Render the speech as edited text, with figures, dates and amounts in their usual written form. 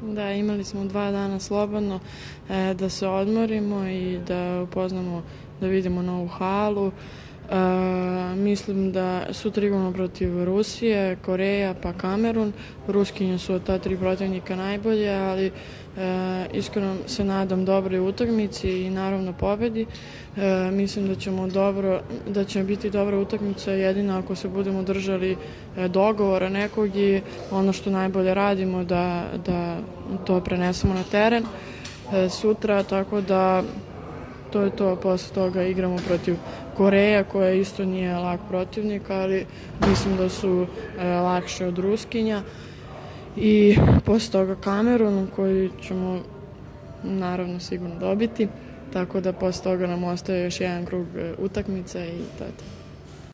Da, imali smo 2 dana slobodno da se odmorimo i da upoznamo, da vidimo novu halu. Mislim da sutra igramo protiv Rusije, Koreja pa Kamerun. Ruskinje su od ta 3 protivnika najbolje, ali iskreno se nadam dobroj utakmici i naravno pobedi. Mislim da će biti dobra utakmica jedino ako se budemo držali dogovora nekog i ono što najbolje radimo da to prenesemo na teren sutra, tako da to je to. Posle toga igramo protiv Koreja, koja isto nije lak protivnik, ali mislim da su lakše od Ruskinja. I posle toga Kamerun, koji ćemo naravno sigurno dobiti, tako da posle toga nam ostaje još jedan krug utakmica i to je to.